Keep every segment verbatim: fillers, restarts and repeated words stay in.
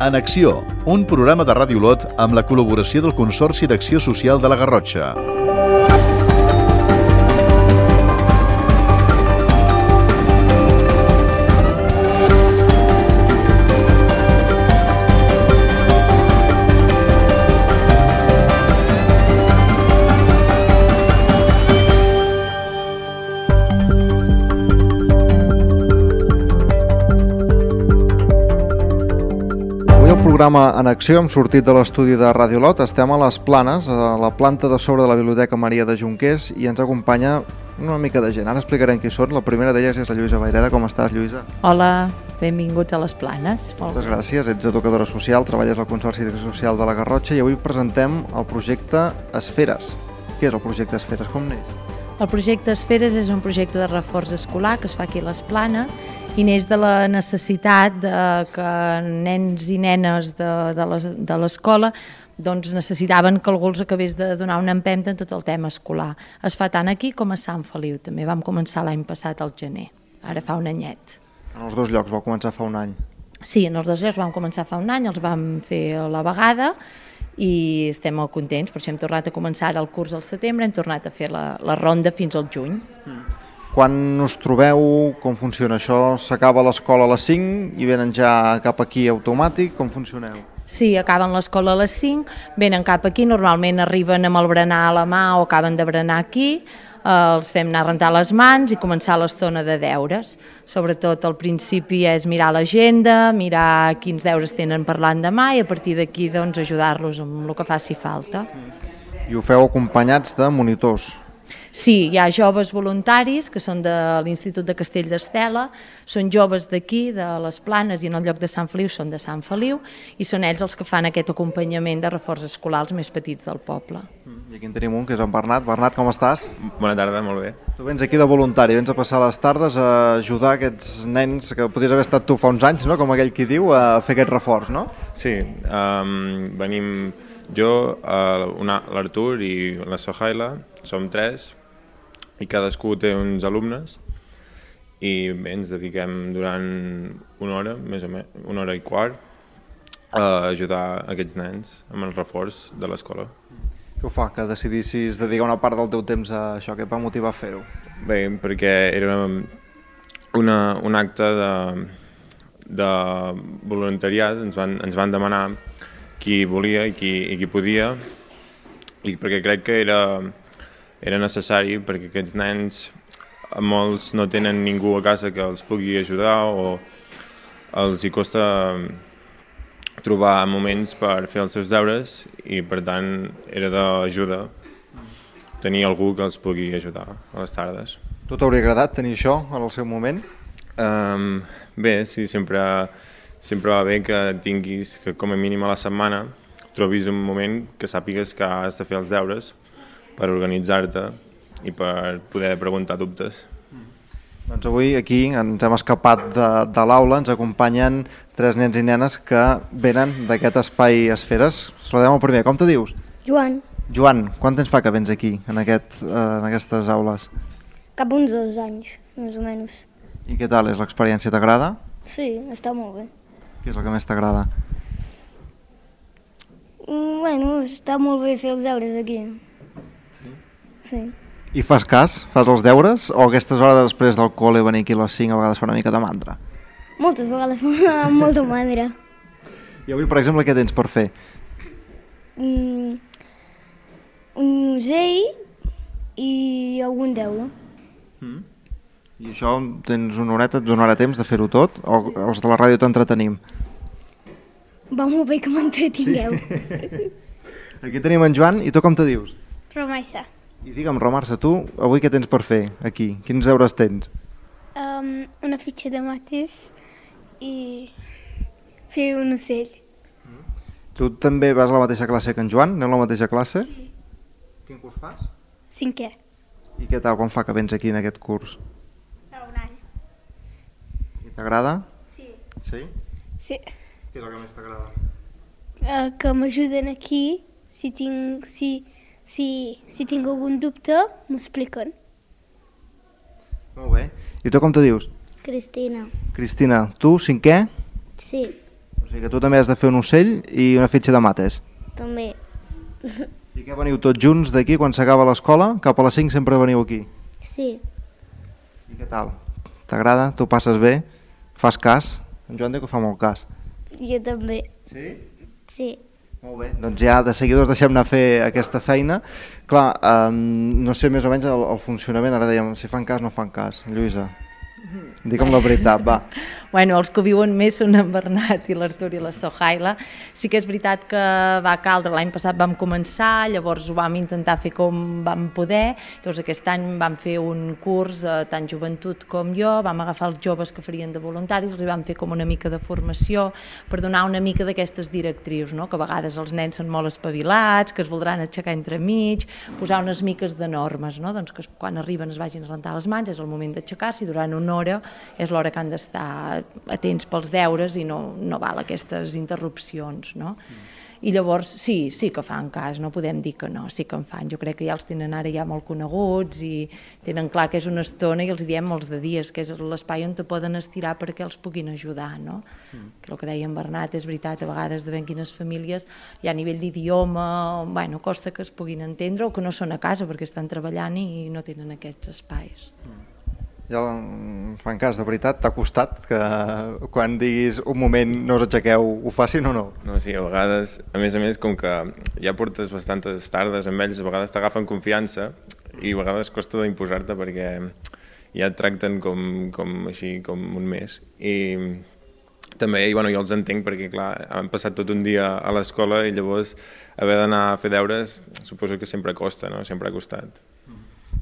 En Acció, un programa de Ràdio Olot amb la col·laboració del Consorci d'Acció Social de la Garrotxa. Programa en Acció, hem sortit de l'estudi de Ràdio Olot, estem a les Planes, a la planta de sobre de la Biblioteca Maria de Jonquers, i ens acompanya una mica de gent. Ara explicarem qui són. La primera d'elles és la Lluïsa Vayreda. Com estàs, Lluïsa? Hola, benvinguts a les Planes. Moltes gràcies, ets educadora social, treballes al Consorci d'Acció Social de la Garrotxa i avui presentem el projecte Esferes. Què és el projecte Esferes? Com neix? El projecte Esferes és un projecte de reforç escolar que es fa aquí a les Planes i neix de la necessitat de que nens i nenes de l'escola doncs necessitaven que algú els acabés de donar una empenta en tot el tema escolar. Es fa tant aquí com a Sant Feliu, també vam començar l'any passat al gener, ara fa un anyet. En els dos llocs vau començar fa un any? Sí, en els dos llocs vam començar fa un any, els vam fer a la vegada i estem molt contents, per això hem tornat a començar ara el curs al setembre, hem tornat a fer la, la ronda fins al juny. Mm. Quan us trobeu, com funciona això? S'acaba l'escola a les cinc i venen ja cap aquí automàtic? Com funcioneu? Sí, acaben l'escola a les cinc, venen cap aquí, normalment arriben amb el berenar a la mà o acaben de berenar aquí, eh, els fem anar a rentar les mans i començar l'estona de deures. Sobretot al principi és mirar l'agenda, mirar quins deures tenen per l'endemà i a partir d'aquí doncs, ajudar-los amb el que faci falta. I ho feu acompanyats de monitors? Sí, hi ha joves voluntaris que són de l'Institut de Castell d'Estela, són joves d'aquí, de les Planes, i en el lloc de Sant Feliu són de Sant Feliu, i són ells els que fan aquest acompanyament de reforç escolar als més petits del poble. I aquí en tenim un, que és en Bernat. Bernat, com estàs? Bona tarda, molt bé. Tu vens aquí de voluntari, vens a passar les tardes a ajudar aquests nens que podries haver estat tu fa uns anys, no? Com aquell qui diu, a fer aquest reforç, no? Sí, um, venim jo, l'Artur i la Sohaila, som tres, i cadascú té uns alumnes i bé, ens dediquem durant una hora, més o menys, una hora i quart, a ajudar aquests nens amb el reforç de l'escola. Què ho fa que decidissis dedicar una part del teu temps a això? Què et va motivar a fer-ho? Bé, perquè era una, un acte de, de voluntariat, ens van, ens van demanar qui volia i qui, i qui podia, i perquè crec que era... era necessari perquè aquests nens, molts no tenen ningú a casa que els pugui ajudar o els hi costa trobar moments per fer els seus deures i per tant era d'ajuda tenir algú que els pugui ajudar a les tardes. Tu t'hauria agradat tenir això en el seu moment? Um, bé, sí, sempre, sempre va bé que tinguis, que com a mínim a la setmana trobis un moment que sàpigues que has de fer els deures per organitzar-te i per poder preguntar dubtes. Doncs avui aquí ens hem escapat de, de l'aula, ens acompanyen tres nens i nenes que venen d'aquest espai Esferes. Saludem el primer, com te dius? Joan. Joan, quant temps fa que vens aquí, en, aquest, eh, en aquestes aules? Cap uns dos anys, més o menys. I què tal, és l'experiència, t'agrada? Sí, està molt bé. Què és el que més t'agrada? Mm, bueno, està molt bé fer els deures aquí. Sí. I fas cas? Fas els deures? O aquestes hores després del col·le venir aquí a les cinc a vegades fa una mica de mandra? Moltes vegades fa molta mandra. I avui, per exemple, què tens per fer? Mm, un musell i algun deure. Mm. I això tens una horeta, et donarà temps de fer-ho tot? O els de la ràdio t'entretenim? Va molt bé que m'entretingueu. Sí. Aquí tenim en Joan, i tu com te dius? Romaissa. I digue'm, Romarsa, tu avui què tens per fer aquí? Quins deures tens? Um, una fitxa de mates i fer un ocell. Tu també vas a la mateixa classe que en Joan? Aneu a la mateixa classe? Sí. Quin curs fas? Cinquè. I què tal, quan fa que vens aquí en aquest curs? Fa un any. I t'agrada? Sí. Sí? Sí. Què és el que més t'agrada? Uh, que m'ajuden aquí, si tinc... Si... Si, si tinc algun dubte, m'ho expliquen. Molt bé. I tu com te dius? Cristina. Cristina, tu cinquè? Sí. O sigui que tu també has de fer un ocell i una fitxa de mates. També. I què veniu tots junts d'aquí quan s'acaba l'escola? Cap a les cinc sempre veniu aquí. Sí. I què tal? T'agrada? Tu passes bé? Fas cas? En Joan diu que fa molt cas. Jo també. Sí? Sí. Molt bé, doncs ja de seguidors deixem anar a fer aquesta feina. Clar, eh, no sé més o menys el, el funcionament, ara dèiem si fan cas o no fan cas. Lluïsa, digue'm la veritat, va. Bueno, els que ho viuen més són en Bernat i l'Artur i la Sohaila. Sí que és veritat que va caldre, l'any passat vam començar, llavors ho vam intentar fer com vam poder, llavors aquest any vam fer un curs, eh, tant joventut com jo, vam agafar els joves que farien de voluntaris, els vam fer com una mica de formació per donar una mica d'aquestes directrius, no? Que a vegades els nens són molt espavilats, que es voldran aixecar entremig, posar unes miques de normes, no? Doncs que quan arriben es vagin a rentar les mans, és el moment d'aixecar-se i durant una hora és l'hora que han d'estar atents pels deures i no, no val aquestes interrupcions, no? Mm. I llavors sí, sí que fan cas, no podem dir que no, sí que en fan. Jo crec que ja els tenen ara ja molt coneguts i tenen clar que és una estona i els diem molts de dies, que és l'espai on te poden estirar perquè els puguin ajudar, no? Mm. Que el que deia en Bernat és veritat, a vegades de ben quines famílies hi ha a nivell d'idioma, bueno, costa que es puguin entendre o que no són a casa perquè estan treballant i no tenen aquests espais. Mm. Ja fan cas, de veritat, t'ha costat que quan diguis un moment no us aixequeu, ho facin o no? No, sí, a vegades, a més a més, com que ja portes bastantes tardes amb ells, a vegades t'agafen confiança i a vegades costa d'imposar-te perquè ja et tracten com, com així, com un mes. I també, i, bueno, jo els entenc perquè, clar, han passat tot un dia a l'escola i llavors haver d'anar a fer deures suposo que sempre costa, no? Sempre ha costat.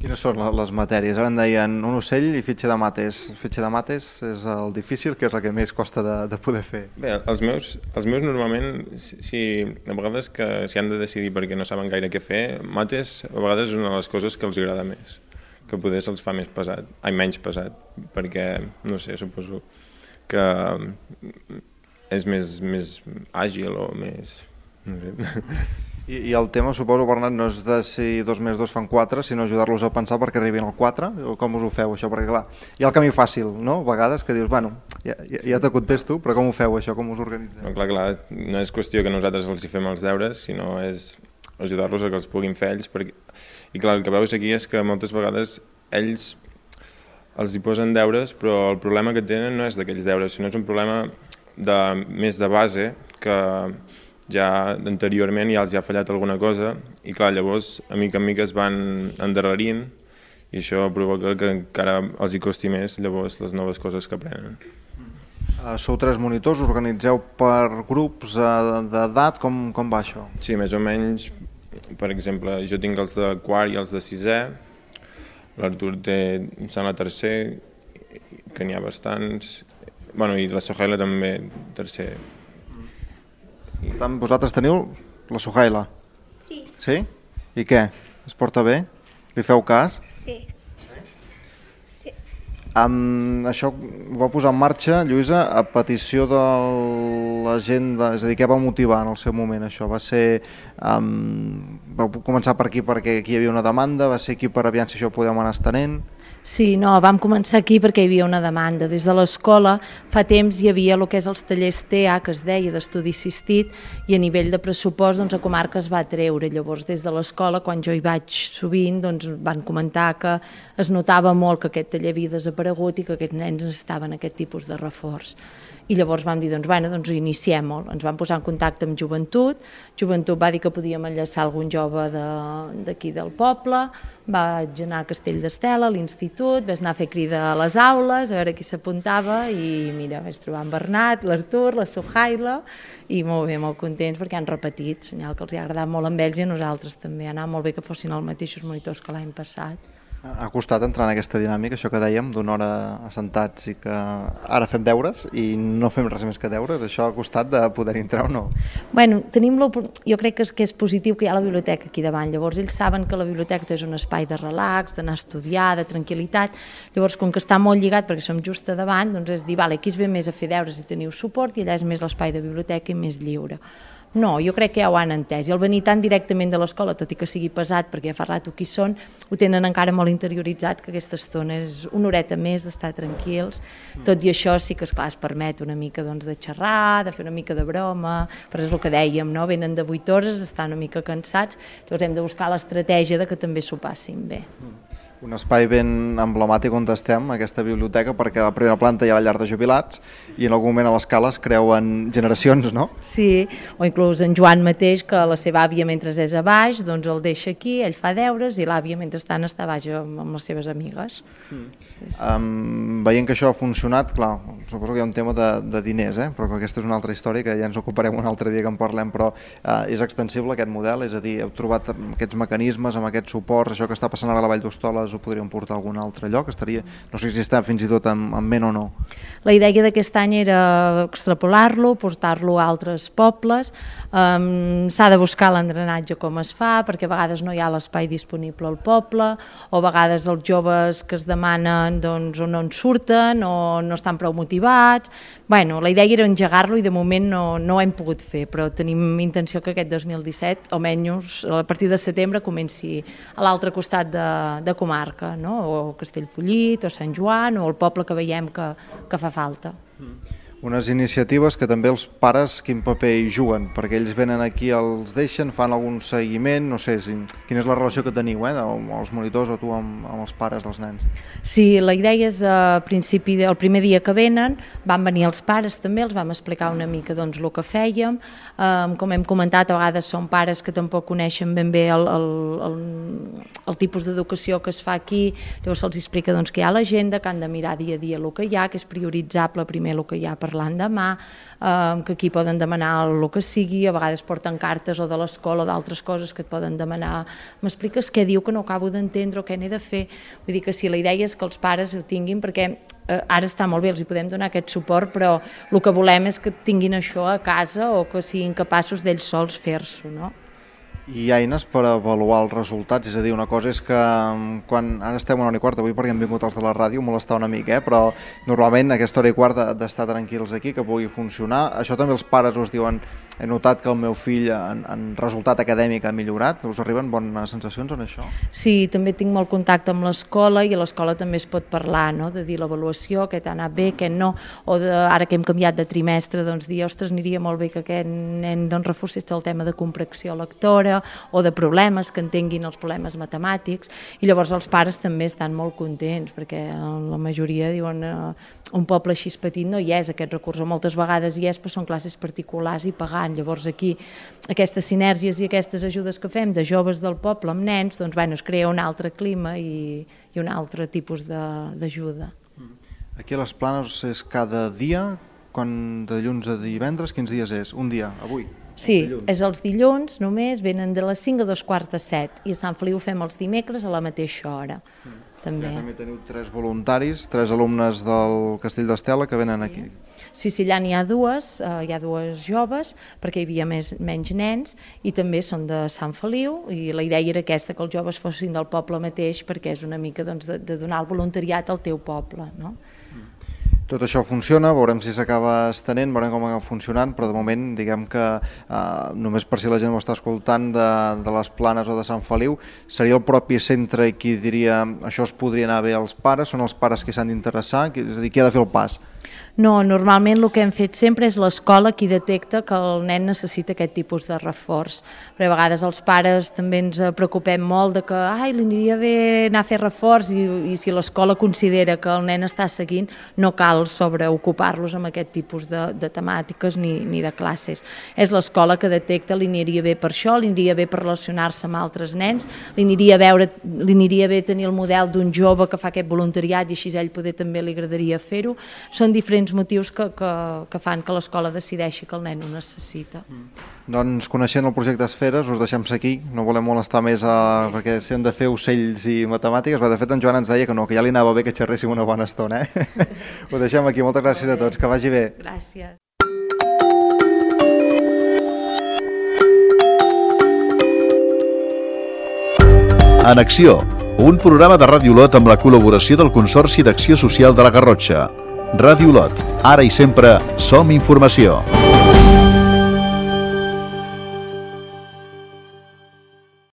Quines són les matèries? Ara en deien un ocell i fitxa de mates. Fitxa de mates és el difícil, que és el que més costa de, de poder fer. Bé, els meus, els meus normalment, si, a vegades que s'hi han de decidir perquè no saben gaire què fer, mates a vegades és una de les coses que els agrada més, que poder se'ls fa més pesat, ai, menys pesat, perquè, no sé, suposo que és més, més àgil o més... no sé... I, I el tema, suposo, Bernat, no és de si dos més dos fan quatre, sinó ajudar-los a pensar perquè arribin al quatre, o com us ho feu, això? Perquè, clar, hi ha el camí fàcil, no?, a vegades, que dius, bueno, ja, ja, ja te contesto, però com ho feu, això, com us organitzeu? No, clar, clar, no és qüestió que nosaltres els hi fem els deures, sinó és ajudar-los a que els puguin fer ells, perquè... i clar, el que veus aquí és que moltes vegades ells els hi posen deures, però el problema que tenen no és d'aquells deures, sinó és un problema de, més de base, que ja anteriorment ja els ha fallat alguna cosa i clar, llavors a mica en mica es van endarrerint i això provoca que encara els hi costi més llavors les noves coses que aprenen. Uh, sou tres monitors, organitzeu per grups uh, d'edat, com, com va això? Sí, més o menys, per exemple, jo tinc els de quart i els de sisè, l'Artur té, em sembla, tercer, que n'hi ha bastants, bueno, i la Sohaila també, tercer. Per tant, vosaltres teniu la Sohaila? Sí. Sí? I què? Es porta bé? Li feu cas? Sí. Sí. Um, això ho va posar en marxa, Lluïsa, a petició de la gent, de, és a dir, què va motivar en el seu moment això? Va ser, um, va començar per aquí perquè aquí hi havia una demanda, va ser aquí per aviam si això ho podíem anar estenent? Sí, no, vam començar aquí perquè hi havia una demanda. Des de l'escola fa temps hi havia el que és els tallers T A, que es deia, d'estudi assistit, i a nivell de pressupost doncs, a comarca es va treure. Llavors, des de l'escola, quan jo hi vaig sovint, doncs, van comentar que es notava molt que aquest taller havia desaparegut i que aquests nens necessitaven aquest tipus de reforç. I llavors vam dir, doncs, bueno, doncs iniciem-ho. Ens vam posar en contacte amb Joventut, Joventut va dir que podíem enllaçar algun jove d'aquí de, del poble, vaig anar a Castell d'Estela, a l'institut, vaig anar a fer crida a les aules, a veure qui s'apuntava i mira, vaig trobar en Bernat, l'Artur, la Sohaila i molt bé, molt contents perquè han repetit, senyal que els ha agradat molt amb ells i a nosaltres també, ha anat molt bé que fossin els mateixos monitors que l'any passat. Ha costat entrar en aquesta dinàmica, això que dèiem, d'una hora assentats i que ara fem deures i no fem res més que deures, això ha costat de poder entrar o no? Bueno, tenim jo crec que és, que és positiu que hi ha la biblioteca aquí davant, llavors ells saben que la biblioteca és un espai de relax, d'anar a estudiar, de tranquil·litat, llavors com que està molt lligat perquè som just a davant, doncs és dir, vale, aquí es ve més a fer deures i teniu suport i allà és més l'espai de biblioteca i més lliure. No, jo crec que ja ho han entès. I el venir tan directament de l'escola, tot i que sigui pesat, perquè ja fa rato que hi són, ho tenen encara molt interioritzat, que aquesta estona és una horeta més d'estar tranquils. Tot i això sí que, esclar, es permet una mica doncs, de xerrar, de fer una mica de broma, però és el que dèiem, no? Venen de vuit hores, estan una mica cansats, llavors hem de buscar l'estratègia de que també s'ho passin bé. Un espai ben emblemàtic on estem, aquesta biblioteca, perquè a la primera planta hi ha la llar de jubilats i en algun moment a l'escala es creuen generacions, no? Sí, o inclús en Joan mateix, que la seva àvia mentre és a baix, doncs el deixa aquí, ell fa deures i l'àvia mentrestant està a baix amb, amb les seves amigues. Mm. Um, veient que això ha funcionat, clar, suposo que hi ha un tema de, de diners, eh? Però que aquesta és una altra història que ja ens ocuparem un altre dia que en parlem, però uh, és extensible aquest model, és a dir, heu trobat aquests mecanismes, amb aquests suports, això que està passant ara a la Vall d'Hostoles ho podríem portar a algun altre lloc? Estaria, no sé si està fins i tot en, en ment o no. La idea d'aquest any era extrapolar-lo, portar-lo a altres pobles. Um, s'ha de buscar l'engranatge com es fa, perquè a vegades no hi ha l'espai disponible al poble, o a vegades els joves que es demanen doncs, o no en surten o no estan prou motivats. Bueno, la idea era engegar-lo i de moment no, no ho hem pogut fer, però tenim intenció que aquest dos mil disset, almenys a partir de setembre, comenci a l'altre costat de, de comarca, no? O Castellfollit, o Sant Joan, o el poble que veiem que, que fa falta. Unes iniciatives que també els pares quin paper hi juguen, perquè ells venen aquí, els deixen, fan algun seguiment, no sé, si, quina és la relació que teniu, eh, amb els monitors o tu amb, amb els pares dels nens? Sí, la idea és, a principi, el primer dia que venen, van venir els pares també, els vam explicar una mica doncs, el que fèiem, um, com hem comentat, a vegades són pares que tampoc coneixen ben bé el, el, el, el tipus d'educació que es fa aquí, llavors se'ls explica doncs, que hi ha l'agenda, que han de mirar dia a dia el que hi ha, que és prioritzable primer el que hi ha per l'endemà, eh, que aquí poden demanar el que sigui, a vegades porten cartes o de l'escola o d'altres coses que et poden demanar. M'expliques què diu que no acabo d'entendre o què n'he de fer? Vull dir que sí, la idea és que els pares ho tinguin perquè eh, ara està molt bé, els hi podem donar aquest suport, però el que volem és que tinguin això a casa o que siguin capaços d'ells sols fer-s'ho, no? I hi ha eines per avaluar els resultats, és a dir, una cosa és que quan ara estem a una hora i quart, avui perquè hem vingut els de la ràdio, molestar una mica, eh? Però normalment aquesta hora i quart d'estar tranquils aquí, que pugui funcionar, això també els pares us diuen, he notat que el meu fill en, en resultat acadèmic ha millorat, us arriben bones sensacions en això? Sí, també tinc molt contacte amb l'escola i a l'escola també es pot parlar, no? De dir l'avaluació, què t'ha anat bé, què no, o de, ara que hem canviat de trimestre, doncs dir, ostres, aniria molt bé que aquest nen doncs, reforcés el tema de comprensió lectora, o de problemes, que entenguin els problemes matemàtics, i llavors els pares també estan molt contents, perquè la majoria diuen eh, un poble així petit no hi és aquest recurs, o moltes vegades hi és, però són classes particulars i pagant, llavors aquí aquestes sinergies i aquestes ajudes que fem de joves del poble amb nens, doncs bueno, es crea un altre clima i, i un altre tipus d'ajuda. Aquí a les Planes és cada dia, quan de dilluns a divendres, quins dies és? Un dia, avui? Sí, és els dilluns només, venen de les cinc a dos quarts de set i a Sant Feliu fem els dimecres a la mateixa hora. Mm. També. Ja també teniu tres voluntaris, tres alumnes del Castell d'Estela que venen sí. aquí. Sí, sí, allà n'hi ha dues, eh, hi ha dues joves, perquè hi havia més, menys nens, i també són de Sant Feliu, i la idea era aquesta, que els joves fossin del poble mateix, perquè és una mica doncs, de, de donar el voluntariat al teu poble, no? Mm. Tot això funciona, veurem si s'acaba estenent, veurem com acaba funcionant, però de moment diguem que eh, només per si la gent ho està escoltant de, de les Planes o de Sant Feliu, seria el propi centre qui diria això es podria anar bé als pares, són els pares qui s'han d'interessar, és a dir, qui ha de fer el pas? No, normalment el que hem fet sempre és l'escola qui detecta que el nen necessita aquest tipus de reforç. Però a vegades els pares també ens preocupem molt de que ai, li aniria bé anar a fer reforç i, i si l'escola considera que el nen està seguint, no cal sobreocupar-los amb aquest tipus de, de temàtiques ni, ni de classes. És l'escola que detecta, li aniria bé per això, li aniria bé per relacionar-se amb altres nens, li aniria, veure, li aniria bé tenir el model d'un jove que fa aquest voluntariat i així ell poder també li agradaria fer-ho. Són diferents motius que, que, que fan que l'escola decideixi que el nen ho necessita. Mm. Doncs coneixent el projecte Esferes, us deixem aquí, no volem molestar més a, perquè si hem de fer ocells i matemàtiques, de fet en Joan ens deia que no, que ja li anava bé que xerréssim una bona estona. Eh? Ho deixem aquí, moltes gràcies a tots, que vagi bé. Gràcies. En Acció, un programa de Ràdio Lot amb la col·laboració del Consorci d'Acció Social de la Garrotxa. Ràdio Lot, ara i sempre som informació.